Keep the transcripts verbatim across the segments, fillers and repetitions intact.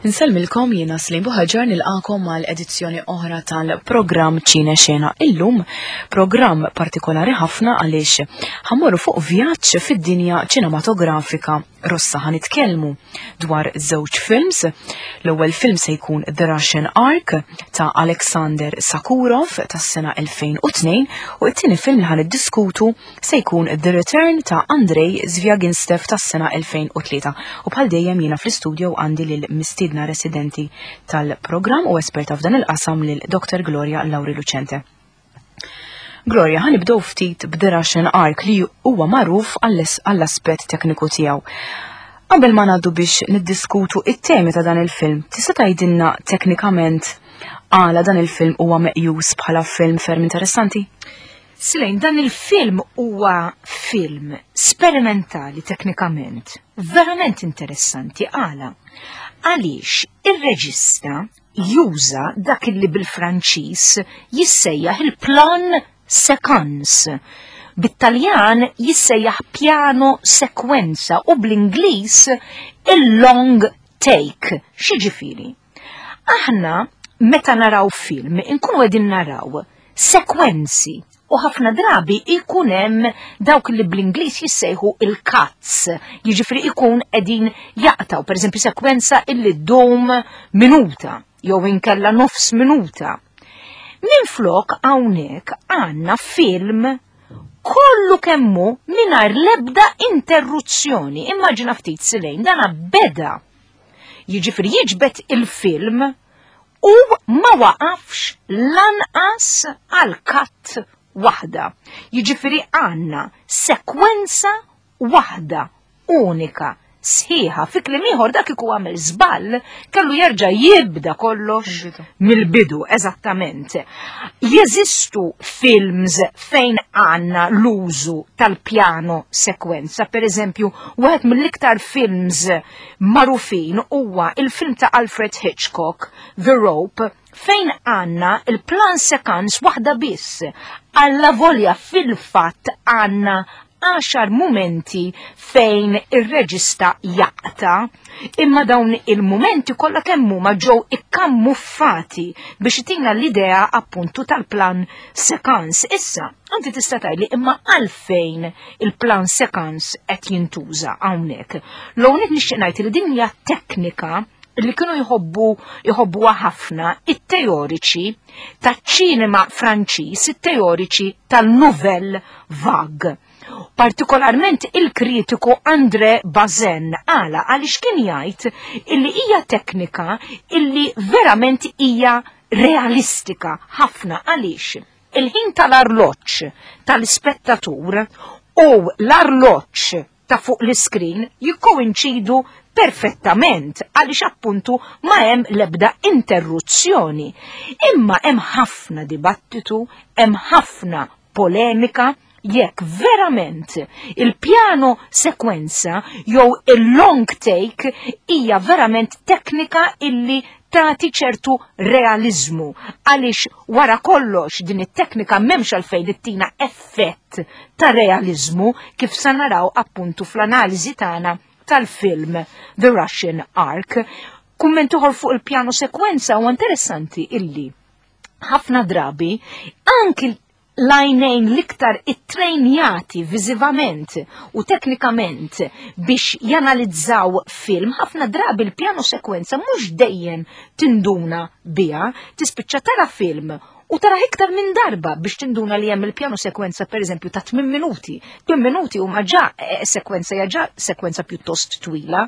Insellmilkom, jiena Slim Buħaġar, nilqagħkom għal edizzjoni oħra tal-programm Ċine Xena. Illum programm partikolari ħafna għaliex ħa mmorru fuq vjaġġ fid-dinja ċinematografika Russa. Ħa nitkellmu dwar żewġ films. L-ewwel film se jkun The Russian Ark ta' Alexander Sokurov tas-sena elfejn u tnejn u t-tieni film li ħa niddiskutu se jkun The Return ta' Andrei Zvyagintsev tas-sena elfejn u tlieta. U bħal dejjem jiena fl-istudio għandi lil mistiedna residenti tal-programm u esperta f'dan il-qasam, lil Doktor Gloria Lauri Lucente. Gloria, ħa nibdew ftit b'The Russian Ark li huwa magħruf għall-aspett tekniku tiegħu. Qabel ma ngħaddu biex niddiskutu it-temi ta' dan il-film, tista' tgħidilna teknikament għala dan il-film huwa meqjus bħala film ferm interessanti? Silejn, dan il-film huwa film sperimentali teknikament, verament interessanti. Għala? Għaliex ir-reġista juża dak li bil-Franċiż jissejjaħ il-plan séquence. Bit-Taljan jissejjaħ piano sequenza u bl-Ingliż il-long take. X'jiġifieri? Aħna meta naraw film inkunu qegħdin naraw sekwenzi u ħafna drabi ikun hemm dawk li bl-Ingliż jissejħu il-cuts, jiġifieri ikun qegħdin jaqtaw, pereżempju sekwenza illi ddum minuta jew inkella nofs minuta. Minflok hawnhekk għandna film kollu kemmu mingħajr l-ebda interruzzjoni. Immaġina ftit, Silejn, dana beda. Jiġifieri jiġbed il-film u ma waqafx lanqas għal cut waħda. Jiġifieri għandna sekwenza waħda unika sħiħa. Fi kliem ieħor, dak iku għamel żball kellu jerġa' jibda kollox mill-bidu, eżattament. Jeżistu films fejn għandna l-użu tal-piano sekwenza, per eżempju, wieħed mill-iktar films magħrufin huwa il-film ta' Alfred Hitchcock, The Rope, fejn għandna il-plan séquence waħda biss. Allavolja fil-fatt għandna għaxar momenti fejn ir-reġista jaqta, imma dawn il-momenti kollha kemm huma ġew ikkammuffati biex itina l-idea appuntu tal-plan séquence. Issa, inti tista' tgħidli, imma għalfejn il-plan séquence qed jintuża hawnhekk? L-ewwel nixtieq ngħid li din hija teknika li kienu jħobbu jħobbuha ħafna it-teoriċi taċ-ċinema Franċiż, it-teoriċi tal-Nouvelle Vague. Partikolarment il-kritiku André Bazin. Għala? Għaliex kien jgħid illi hija teknika illi verament hija realistika ħafna, għaliex il-ħin tal-arloġġ tal-ispettatur u l-arloġġ ta' fuq l-iskrin jikkoinċidu perfettament, għaliex appuntu ma hemm l-ebda interruzzjoni. Imma hemm ħafna dibattitu, hemm ħafna polemika jekk verament il-piano sekwenza jew il-long take hija verament teknika illi tagħti ċertu realizmu, għaliex wara kollox din it-teknika m'hemmx għalfejn ittina effett ta' realizmu, kif sa naraw appuntu fl-analiżi tagħna tal-film The Russian Ark. Kumment ieħor fuq il-piano sekwenza, u interessanti illi ħafna drabi anki l-għajnejn l-iktar ittrejnjati viżivament u teknikament biex janalizzaw film, ħafna drabi l-piano sekwenza mhux dejjem tinduna biha, tispiċċa tara film u tara iktar minn darba biex tinduna li hemm il-piano sekwenza, per eżempju, ta' tmien minuti. tmien minuti huma ġa eh, sekwenza, hija ġa sekwenza pjuttost twila.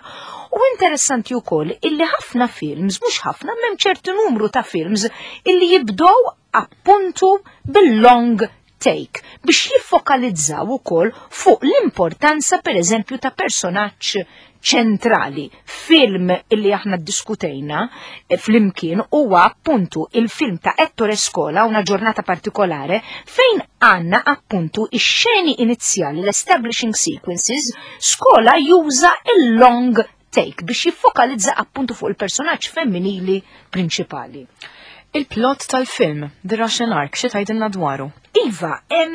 U interessanti wkoll illi ħafna films, mhux ħafna, m'hemm ċertu numru ta' films illi jibdew appuntu bil-long take biex jiffokalizzaw ukoll fuq l-importanza, per eżempju, ta' personaġġ ċentrali. Film illi aħna diskutejna eh, flimkien huwa appuntu il-film ta' Ettore Scola, Una giornata particolare, fejn għandna appuntu ix-xeni inizjali, l-establishing sequences, Scola juża il-long take biex jiffokalizza appuntu fuq il-personaġġ femminili prinċipali. Il-plot tal-film The Russian Ark, xi tgħidilna dwaru? Iva, em,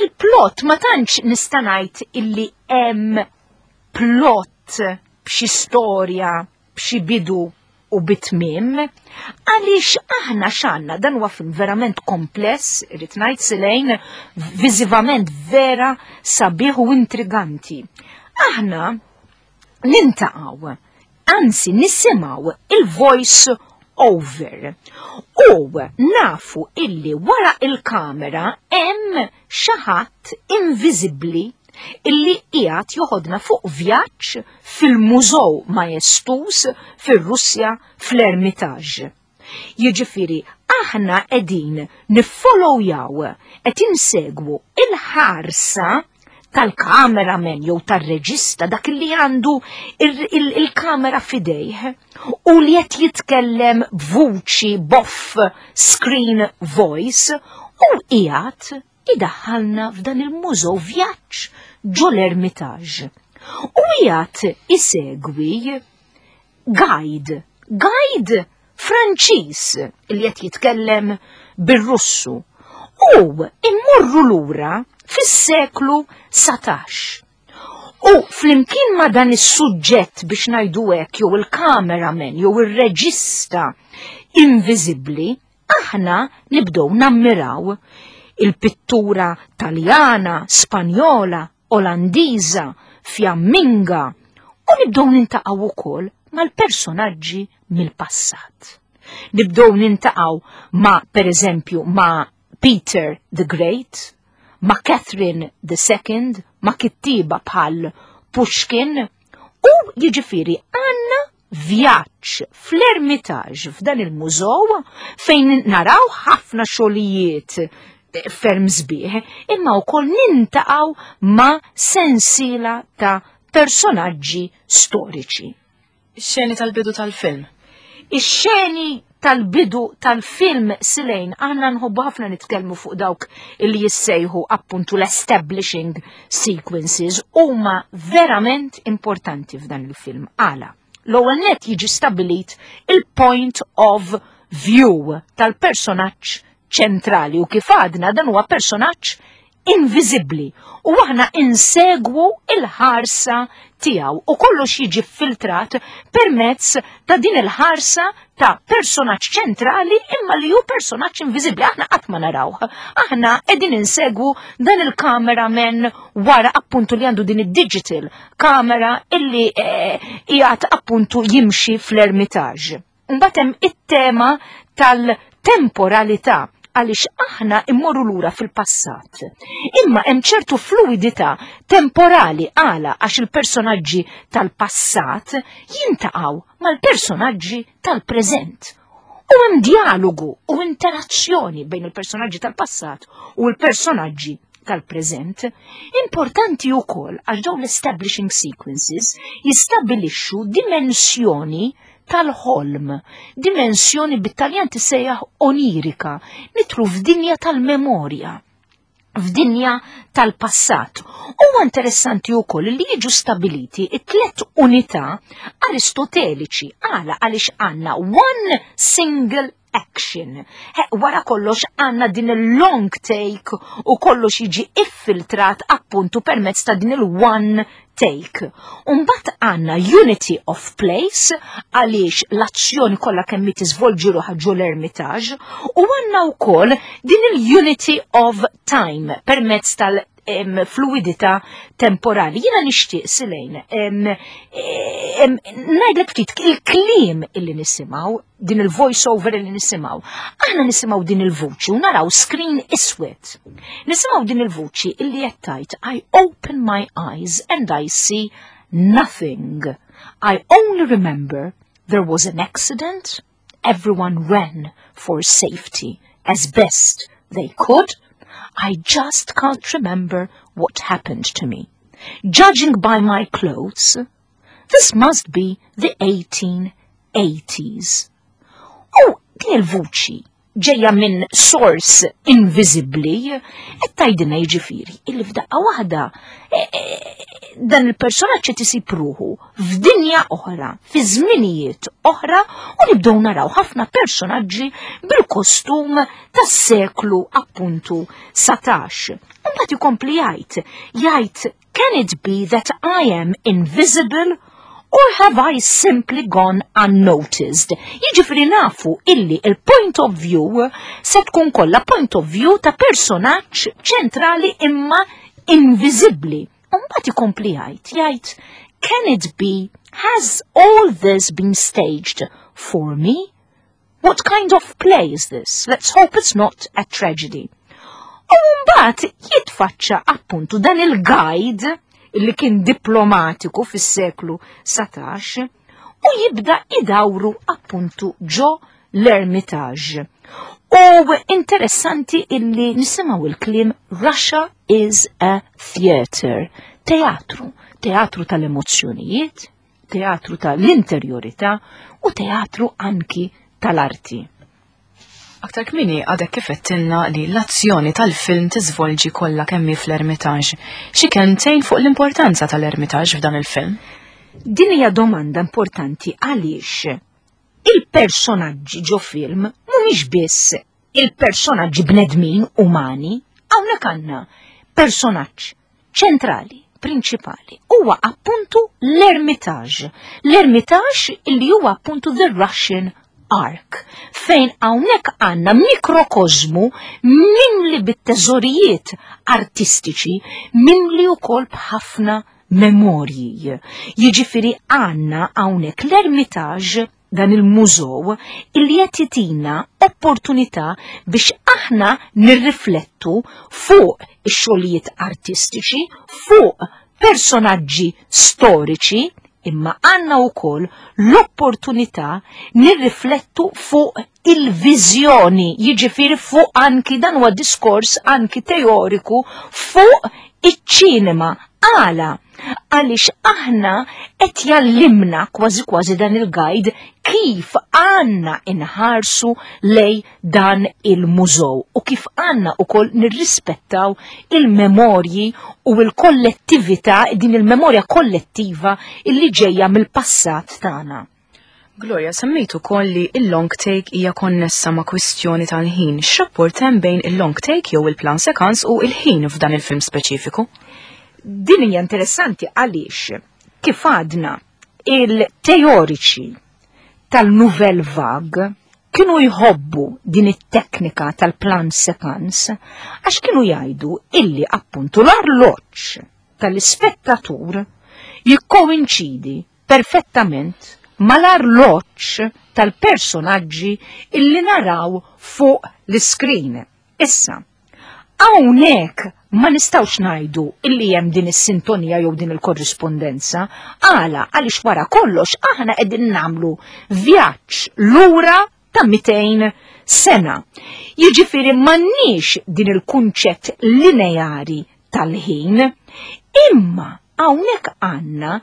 il-plot ma tantx nista' ngħid illi hemm plot b'xi storja, b'xi bidu u tmiem. u bi tmiem, għaliex aħna x'għandna, dan huwa film verament kompless, irrid ngħid, Silejn, viżivament vera sabiħ u intriganti. Aħna niltaqgħu, anzi nisimgħu il-voice over. U nafu illi wara il-kamera hemm xi ħadd inviżibbli illi qiegħed joħodna fuq vjaġġ fil-Mużew Majestuż fir-Russja, fl-Ermitage. Jiġifieri aħna qegħdin niffollowjaw, qed insegwu il-ħarsa tal-cameraman jew tar-reġista, dak li għandu il-kamera f'idejh u li qed jitkellem b'vuċi b'off screen voice u qiegħed idaħħalna f'dan il-mużew, vjaġġ ġo l-Ermitage. U qiegħed isegwi guide, guide Franċiż li qed jitkellem bir-Russu. U immorru lura fis-seklu satax. U flimkien ma dan is-suġġett, biex ngħidu hekk, jew il-cameraman jew ir-reġista inviżibbli, aħna nibdew nammiraw il-pittura Taljana, Spanjola, Olandiża, Fjamminga u nibdew niltaqgħu ukoll mal-personaġġi mill-passat. Nibdew niltaqgħu ma' per eżempju ma' Peter the Great, ma' Catherine the Second, ma' kittiba bħal Pushkin, u jiġifieri għandna vjaġġ fl-Ermitage, f'dan il-mużew fejn naraw ħafna xogħlijiet ferm sbieħ, imma wkoll niltaqgħu ma' sensiela ta' personaġġi storiċi. Ix-xeni tal-bidu tal-film. Ix-xeni tal-bidu tal-film, Silejn, għandna nħobbu ħafna nitkellmu fuq dawk li jissejħu appuntu l-establishing sequences, huma verament importanti f'dan il-film. Għala? L-ewwel net jiġi stabilit il-point of view tal-personaġġ ċentrali u kif għadna dan huwa personaġġ inviżibbli u aħna insegwu il-ħarsa tiegħu u kollox jiġi filtrat permezz ta' din il-ħarsa ta' personaġġ ċentrali imma li hu personaġġ inviżibbli, aħna qatt ma narawh. Aħna qegħdin insegwu dan il-cameraman wara appuntu li għandu din id-digital kamera illi eh, qiegħed appuntu jimxi fl-Ermitage. Mbagħad hemm it-tema tal-temporalità għaliex aħna immorru lura fil-passat. Imma hemm ċertu fluidità temporali. Għala? Għax il-personaġġi tal-passat jiltaqgħu mal-personaġġi tal-preżent. U hemm dialogu u interazzjoni bejn il-personaġġi tal-passat u l-personaġġi tal-preżent. Importanti wkoll għax dawn l-establishing sequences jistabilixxu dimensjoni tal-ħolm, dimensjoni bit-Taljan tissejjaħ onirika, nidħlu f'dinja tal-memorja, f'dinja tal-passat. Huwa interessanti wkoll li jiġu stabiliti it-tlet unità aristoteliċi. Għala? Għaliex għandna one single action. He, wara kollox għandna din il-long take u kollox jiġi iffiltrat appuntu permezz ta' din il-one take. Umbat għandna unity of place għaliex l-azzjoni kollha kemm tiżvolġi ruħha ġo l-Ermitage u għandna wkoll din il-unity of time permezz tal- em, fluidità temporali. Jiena nixtieq, Silejn, ngħidlek ftit il-kliem illi nisimgħu, din il-voice over illi nisimgħu. Aħna nisimgħu din il-vuċi u naraw screen iswed. Nisimgħu din il-vuċi illi qed tgħid, "I open my eyes and I see nothing. I only remember there was an accident. Everyone ran for safety as best they could. I just can't remember what happened to me. Judging by my clothes, this must be the eighteen eighties" U din il-vuċi ġejja minn source invisibli, qed tgħidilna jiġifieri illi f'daqqa waħda e, e, dan il-personaġġ qed isib ruħu f'dinja oħra, fi żminijiet oħra u nibdew naraw ħafna personaġġi bil-kostum tas-seklu appuntu satax. Mbagħad ikompli jgħid, jgħid, "Can it be that I am invisible Or have I simply gone unnoticed? Jiġifieri nafu illi il-point of view se tkun kollha point of view ta' personaġġ ċentrali imma inviżibbli. Mbagħad ikompli jgħid, jgħid, "Can it be, has all this been staged for me? What kind of play is this? Let's hope it's not a tragedy." U mbagħad jitfaċċa appuntu dan il-guide illi kien diplomatiku fis-seklu satax u jibda idawru appuntu ġo l-Ermitage. U interessanti illi nisimgħu il-kliem "Russia is a theater", teatru, teatru tal-emozzjonijiet, teatru tal-interjorità u teatru anki tal-arti. Aktar kmieni għadek kif għedtilna li l-azzjoni tal-film tiżvolġi kollha kemm hi fl-Ermitage. Xi kelmtejn fuq l-importanza tal-Ermitage f'dan il-film? Din hija domanda importanti għaliex il-personaġġi ġo film mhumiex biss il-personaġġi bnedmin umani, hawnhekk għandna personaġġ ċentrali, prinċipali, huwa appuntu l-Ermitage. L-Ermitage illi huwa appuntu the Russian Ark, fejn hawnhekk għandna mikrokozmu mimli bit-teżorijiet artistiċi, mimli wkoll b'ħafna memorji. Jiġifieri għandna hawnhekk l-Ermitage, dan il-mużew illi qed jitina opportunità biex aħna nirriflettu fuq ix-xogħlijiet artistiċi, fuq personaġġi storiċi, imma għandna wkoll l-opportunità nirriflettu fuq il-viżjoni, jiġifieri fuq anki dan huwa diskors anki teoriku fuq iċ-ċinema. Għala? Għaliex aħna qed jgħallimna kważi kważi dan il-guide kif għandna inħarsu lej dan il-mużew u kif għandna ukoll nirrispettaw il-memorji u l-kollettività, din il-memorja kollettiva illi ġejja mill-passat tagħna. Gloria, semmejtu ukoll li il-long take hija konnessa ma' kwistjoni tal-ħin. X'rapport hemm bejn il-long take jew il-plan séquence u il-ħin f'dan il-film speċifiku? Din hija interessanti għaliex kif għadna il-teoriċi tal-Nouvelle Vague kienu jħobbu din it-teknika tal-plan séquence għax kienu jgħidu illi appuntu l-arloġġ tal-ispettatur jikkoinċidi perfettament mal-arloġġ tal-personaġġi illi naraw fuq l-iskrin. Issa, hawnhekk ma nistgħux ngħidu illi hemm din is-sintonija jew din il-korrispondenza, għala għaliex wara kollox aħna qegħdin nagħmlu vjaġġ lura ta' mitejn sena. Jiġifieri m'għandniex din il-kunċett lineari tal-ħin, imma hawnhekk għandna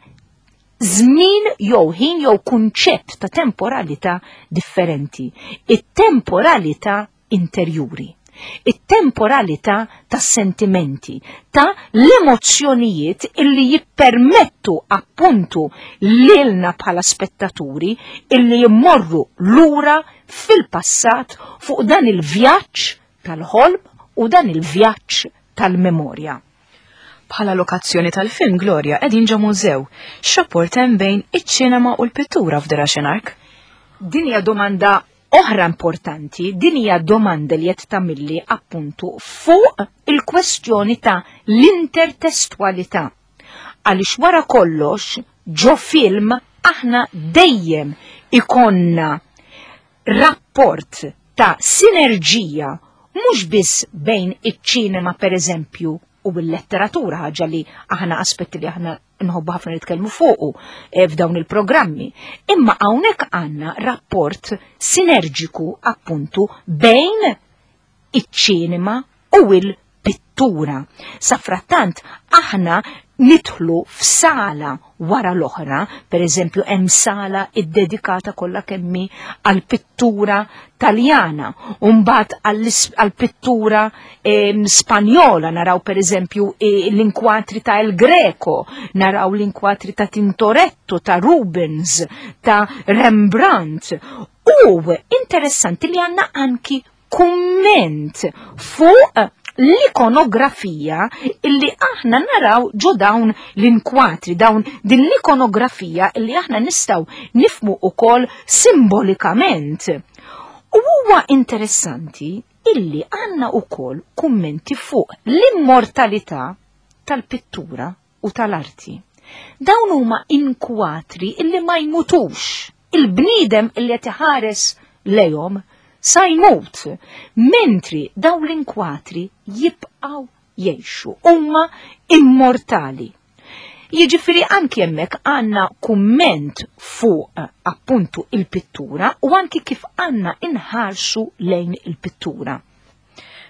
żmien jew ħin jew kunċett ta' temporalità differenti. It-temporalità interjuri, it-temporalità ta' sentimenti, ta' l-emozzjonijiet illi jippermettu appuntu lilna bħala spettaturi illi jimmorru lura fil-passat fuq dan il-vjaġġ tal-ħolm u dan il-vjaġġ tal-memorja. Bħala lokazzjoni tal-film, Gloria, qegħdin ġo mużew. X'rapport hemm bejn iċ-ċinema u l-pittura f'The Russian Ark? Din hija domanda oħra importanti, din hija domanda li qed tagħmilli appuntu fuq il-kwestjoni ta' l-intertestualità. Għaliex wara kollox ġo film aħna dejjem ikonna rapport ta' sinerġija mhux biss bejn iċ-ċinema per eżempju u l-letteratura, ħaġa li aħna aspetti li aħna nħobbu ħafna nitkellmu fuqu eh, f'dawn il-programmi. Imma hawnhekk għandna rapport sinerġiku appuntu bejn iċ-ċinema u l-pittura. Safrattant aħna nidħlu f'sala wara l-oħra, per eżempju hemm sala iddedikata kollha kemm hi għall-pittura Taljana, u mbagħad għall-pittura Spanjola, naraw per eżempju l-inkwatri ta' El Greco, naraw l-inkwatri ta' Tintoretto, ta' Rubens, ta' Rembrandt. U interessanti li għandna anki kumment fuq l-ikonografija illi aħna naraw ġo dawn l-inkwatri, dawn din l-ikonografija illi aħna nistgħu nifmu ukoll simbolikament. U huwa interessanti illi għandna ukoll kummenti fuq l-immortalità tal-pittura u tal-arti. Dawn huma inkwatri illi ma jmutux. Il-bniedem illi qed iħares lejhom sa jmut, mentri dawn l-inkwatri jibqgħu jgħixu, huma immortali. Jiġifieri anki hemmhekk għandna kumment fuq appuntu il-pittura u anki kif għandna inħarsu lejn il-pittura.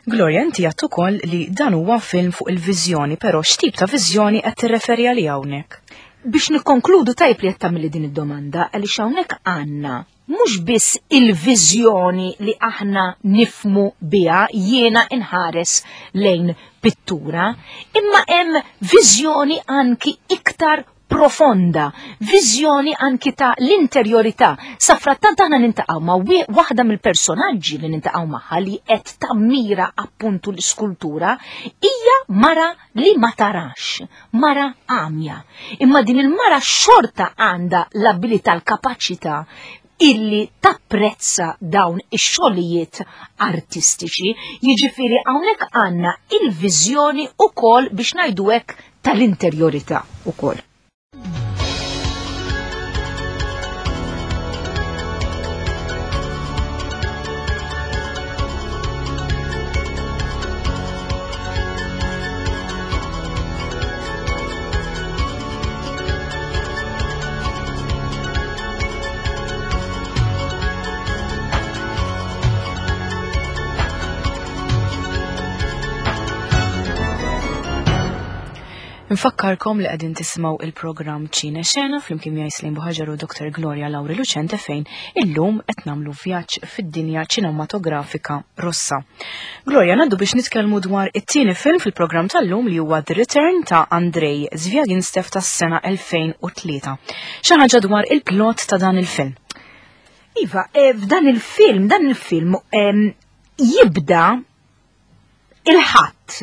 Gloria, inti għedt ukoll li dan huwa film fuq il-viżjoni, però x'tip ta' viżjoni qed tirreferi għaliha hawnhekk? Biex nikkonkludu tajb li qed tagħmilli din id-domanda, għaliex hawnhekk għandna mhux biss il-viżjoni li aħna nifmu biha jiena inħares lejn pittura, imma hemm viżjoni anki iktar profonda, viżjoni anki ta' l-interjorità. Sa frattant aħna nintaqgħu ma' waħda mill-personaġġi li nintaqgħu magħha li qed tammira appuntu l-iskultura hija mara li ma tarax, mara għamja. Imma din il-mara xorta għandha l-abilità, l-kapaċità illi tapprezza dawn ix-xogħlijiet artistiċi. Jiġifieri hawnhekk għandna il-viżjoni ukoll biex ngħidu hekk tal-interjorità ukoll. Nfakkarkom li qegħdin tisimgħu il-programm Ċine Xena flimkien miegħi Slim Buħaġar u Doktor Gloria Lauri Lucente fejn illum qed nagħmlu vjaġġ fid-dinja ċinematografika Russa. Gloria, ngħaddu biex nitkellmu dwar it-tieni film fil-programm tal-lum li huwa The Return ta' Andrei Zvyagintsev tas-sena elfejn u tlieta. Xi ħaġa dwar il-plot ta' dan il-film. Iva, f'dan il-film, dan il-film jibda il-ħadd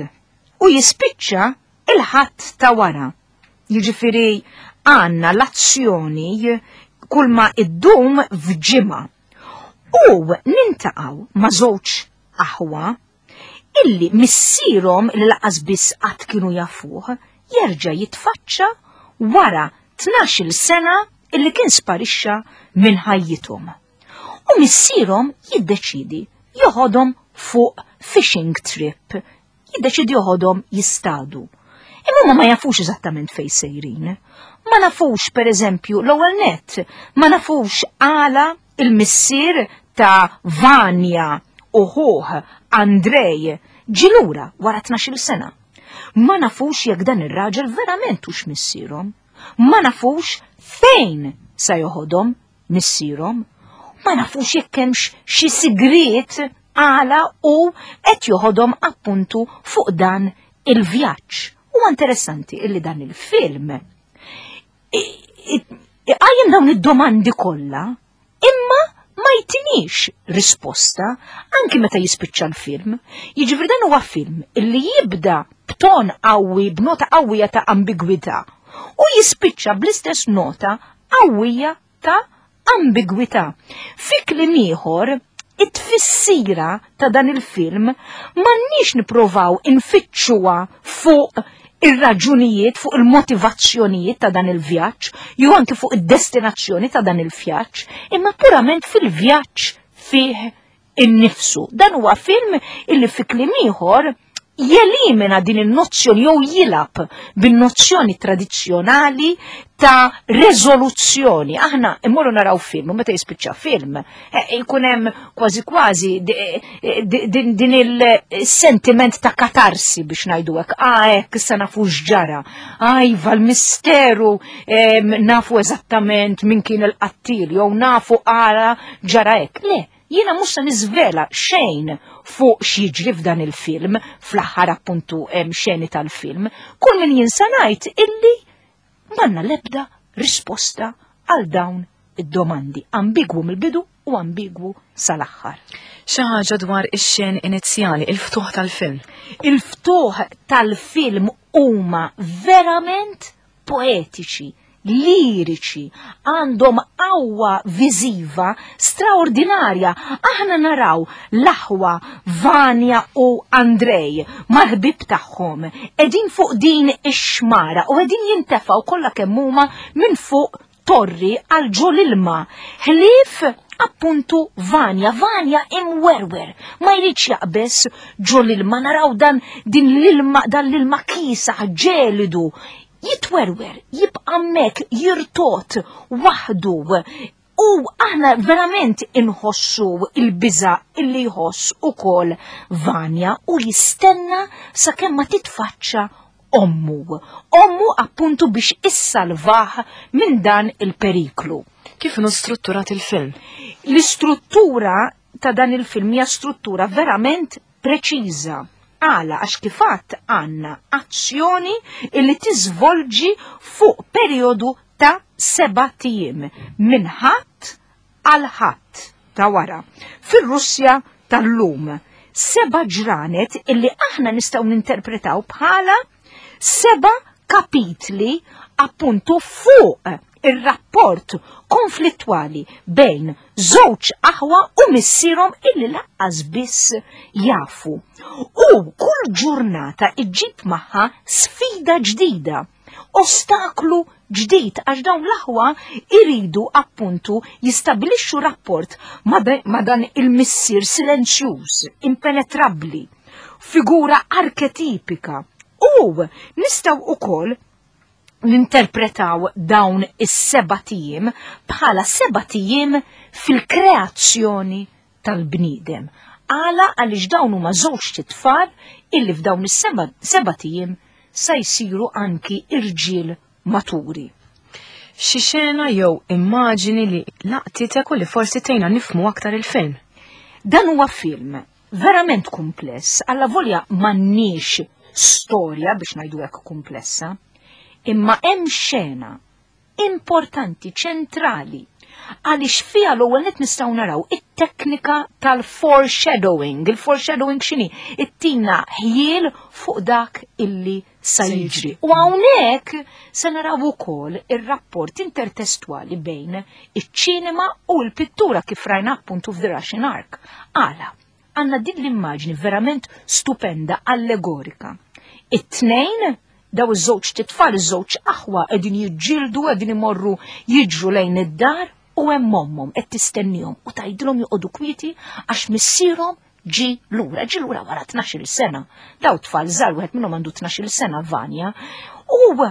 u jispiċċa il-ħadd ta' wara. Jiġifieri għandna l-azzjoni kull ma iddum f'ġimgħa. U nintaqgħu ma' żewġ aħwa illi missierhom li laqas biss qatt kienu jafuh jerġa' jitfaċċa wara tnax-il sena illi kien sparixxa minn ħajjithom. U missierhom jiddeċidi joħodhom fuq fishing trip, jiddeċidi joħodhom jistadu. Imma ma jafux eżattament fejn sejrin. Ma nafux, per eżempju, l-ewwel nett, ma nafux għala il-missier ta' Vanja u ħuh Andrej ġilura wara tnax-il sena. Ma nafux jekk dan ir-raġel verament hux missierhom. Ma nafux fejn sa joħodhom missierhom. Ma nafux jekk hemmx xi sigriet għala u qed joħodhom appuntu fuq dan il-vjaġġ. Huwa interessanti illi dan il-film iqajjem dawn id-domandi kollha, imma ma jtinix risposta anki meta jispiċċa l-film. Jiġifieri dan huwa film illi jibda b'ton qawwi, b'nota qawwija ta' ambigwità u jispiċċa bl-istess nota qawwija ta' ambigwità. Fi kliem ieħor, it-tfissira ta' dan il-film m'għandniex nipprovaw infittxuha fuq ir-raġunijiet, fuq il-motivazzjonijiet ta' dan il-vjaġġ, jew anki fuq id-destinazzjoni ta' dan il-vjaġġ, imma purament fil-vjaġġ fih innifsu. Dan huwa film illi fi kliem ieħor jelimina din in-nozzjoni jew jilab bin-nozzjoni tradizzjonali ta' rezoluzzjoni. Aħna immorru naraw film, u meta jispiċċa film, jkun hemm kważi kważi din il-sentiment ta' katarsi biex ngħidu hekk. Ah, hekk issa nafu x'ġara. Ah, iva l-misteru, nafu eżattament min kien il-qattil, jew nafu għala ġara hekk. Le, jiena mhux se niżvela xejn fuq x'jiġri f'dan il-film, fl-aħħar appuntu hemm xeni tal-film. Kull min jinsa ngħid illi m'għandna l-ebda risposta għal dawn id-domandi. Ambigwu mill-bidu u ambigwu sal-aħħar. Xi ħaġa dwar ix-xen inizjali, il-ftuħ tal-film. Il-ftuħ tal-film huma verament poetiċi, liriċi, għandhom qawwa viżiva straordinarja. Aħna naraw l-aħwa Vanja u Andrej mal-ħbib tagħhom qegħdin fuq din ix-xmara u qegħdin jintefgħu kollha kemm huma minn fuq torri għal ġo l-ilma. Ħlief appuntu Vanja, Vanja imwerwer, ma jridx jaqbes ġo l-ilma, naraw dan din l-ilma, dan l-ilma kiesaħ ġelidu, jitwerwer, jibqa' hemmhekk jirtot waħdu. U aħna verament inħossu il-biża illi jħoss ukoll Vanja u jistenna sakemm ma titfaċċa ommu. Ommu appuntu biex issalvah minn dan il-periklu. Kif inhu strutturat il-film? L-istruttura ta' dan il-film hija struttura verament preċiża. Għala, għax kifat għanna azzjoni illi tiżvolġi fuq periodu ta' seba' tijiem, minn ħadd għal ħadd ta' wara. Fir-Russja tal-lum, seba' ġranet illi aħna nistgħu ninterpretaw bħala seba' kapitli appuntu fuq ir-rapport konflittwali bejn żewġ aħwa u missierhom illi laqqas biss jafu. U kull ġurnata iġġib magħha sfida ġdida, ostaklu ġdid, għax dawn l-aħwa iridu appuntu jistabilixxu rapport ma dan il-missier silenzjuż, impenetrabbli, figura arketipika. U nistgħu ukoll ninterpretaw dawn is-seba' tijiem bħala seba' tijiem fil-kreazzjoni tal-bniedem. Għala għaliex dawn huma żewġ tfal illi f'dawn is-seba' tijiem sa jsiru anki irġiel maturi. Xi xena jew immaġini li laqtitek u li forsi tgħinna nifhmu aktar il-film? Dan huwa film verament kumpless, alla volja m'għandniex storja biex ngħidu hekk kumplessa, imma hemm xena importanti, ċentrali, għaliex fiha l-ewwel nett nistgħu naraw it-teknika tal-foreshadowing. Il-foreshadowing x'inhi? Ittina ħjiel fuq dak illi sa jiġri. U hawnhekk se naraw ukoll ir-rapport intertestwali bejn iċ-ċinema u l-pittura kif rajna appuntu f'The Russian Ark. Għala, għandna din l-immaġni verament stupenda, allegorika. It-tnejn, daw iż-żewġ titfal, iż-żewġ aħwa qegħdin jiġġieldu, qegħdin imorru jiġru lejn id-dar u hemm ommhom qed tistennihom u tgħidilhom joqogħdu kwieti għax missierhom ġi lura, ġi lura wara tnax-il sena. Daw tfal żgħar, wieħed minnhom għandu tnax-il sena, Vanja. U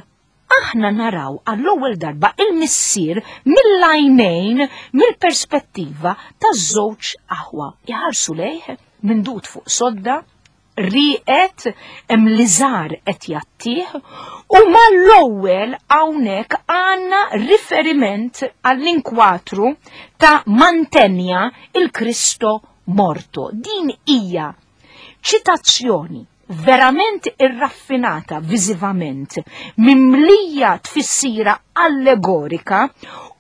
aħna naraw għall-ewwel darba il-missier mill-għajnejn, mill-perspettiva taż-żewġ aħwa. Iħarsu lejh mindut fuq sodda, riqet, hemm liżar qed jattih, u mal-ewwel hawnhekk għandna riferiment għall-inkwatru ta' Mantegna il Cristo Morto. Din hija ċitazzjoni verament irraffinata viżivament, mimlija tfissira allegorika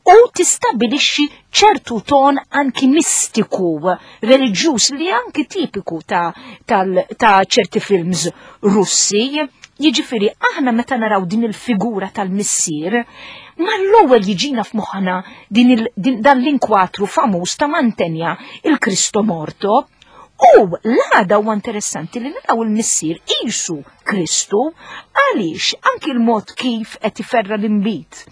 u tistabilixxi ċertu ton anki mistiku, reliġjuż li anki tipiku ta', ta ċerti films Russi. Jiġifieri aħna meta naraw din il-figura tal-missier, mal-ewwel jiġina f'moħħna din il, din, dan l-inkwatru famuż ta' Mantegna il Cristo Morto. U l-għada huwa interessanti li naraw il-missier qisu Kristu, għaliex anki l-mod kif qed iferra l-inbid,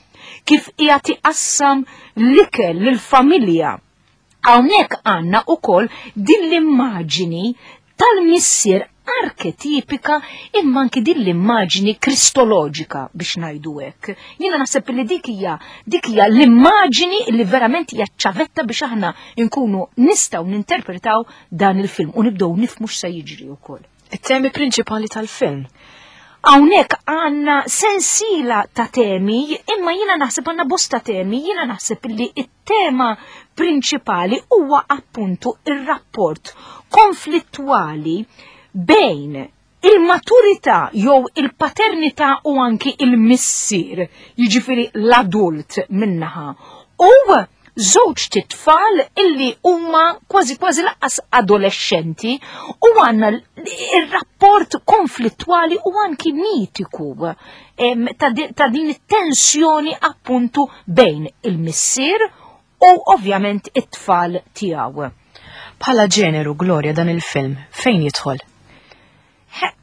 kif qiegħed iqassam l-ikel lill-familja. Hawnhekk għandna wkoll din l-immaġini tal-missier arketipika, imma anki din l-immaġini kristoloġika biex ngħidu hekk. Jiena naħseb li dik hija dik hija l-immaġini li verament hija ċavetta biex aħna nkunu nistgħu ninterpretaw dan il-film u nibdew nifhmu x'se jiġri wkoll. It-temi prinċipali tal-film. Hawnhekk għandna sensila ta' temi, imma jiena naħseb għandna bosta temi, jiena naħseb li it-tema prinċipali huwa appuntu ir-rapport konflittwali bejn il-maturità jew il-paternità u anki il-missier, jiġifieri l-adult minnaħa, u żewġ tfal illi huma kważi kważi lanqas adolescenti u għandna il-rapport konflittwali u anki mitiku ta' din it-tensjoni appuntu bejn il-missier u ovvjament it-tfal tiegħu. Bħala ġeneru, Gloria, dan il-film fejn jidħol?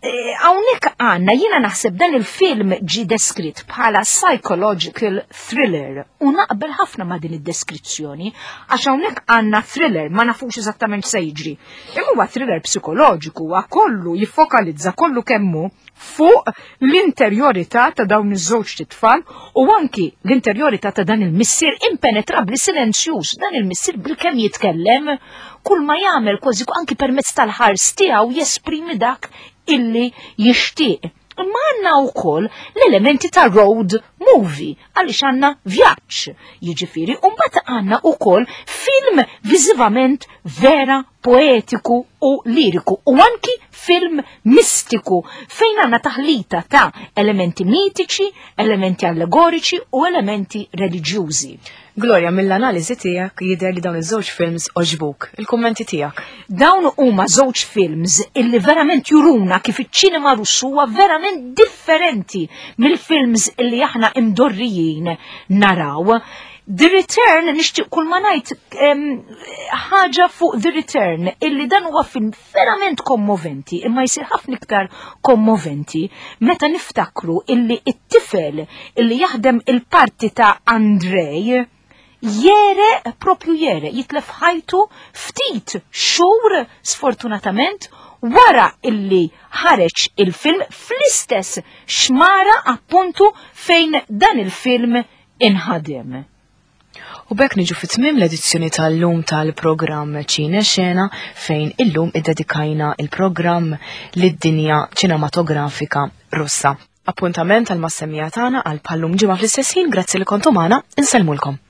Eh, hawnhekk għandna, jiena naħseb dan il-film ġi deskritt bħala psychological thriller u naqbel ħafna ma' din id-deskrizzjoni għax hawnhekk għandna thriller, ma nafux eżattament se jiġri. Imma huwa thriller psikoloġiku, huwa kollu jiffokalizza kollu kemmu fuq l-interjorità ta' dawn iż-żewġ tfal u anki l-interjorità ta' dan il-missier impenetrabli, silenzjuż, dan il-missier bilkemm jitkellem, kull ma jagħmel kważi anki permezz tal-ħars tiegħu jesprimi dak illi jixtieq. Imma għandna wkoll l-elementi ta' road movie, għaliex għandna vjaġġ, jiġifieri, u mbagħad għandna wkoll film viżivament vera poetiku u liriku u anki film mistiku fejn għandna taħlita ta' elementi mitiċi, elementi allegoriċi u elementi reliġjużi. Gloria, mill-analiżi tiegħek jidher li dawn iż-żewġ films għoġbuk. Il-kummenti tiegħek? Dawn huma żewġ films illi verament juruna kif iċ-ċinema Russu huwa verament differenti mill-films illi aħna imdorrijin naraw. The Return, nixtieq kull ma ngħid ħaġa fuq The Return, illi dan huwa film verament kommoventi, imma jsir ħafna iktar kommoventi meta niftakru illi it-tifel illi jaħdem il-parti ta' Andrej jere, propju jere, jitlef ħajtu ftit xhur sfortunatament wara illi ħareġ il-film fl-istess xmara appuntu fejn dan il-film inħadem. U b'hekk niġu fit-tmiem l-edizzjoni tal-lum tal-programm Ċine Xena, fejn illum iddedikajna il-programm lid-dinja ċinematografika Russa. Appuntament għal mas-semmiegħa tagħna għal bħal-lum ġimgħa fl-istess ħin, grazzi li kontu magħna, insellmulkom.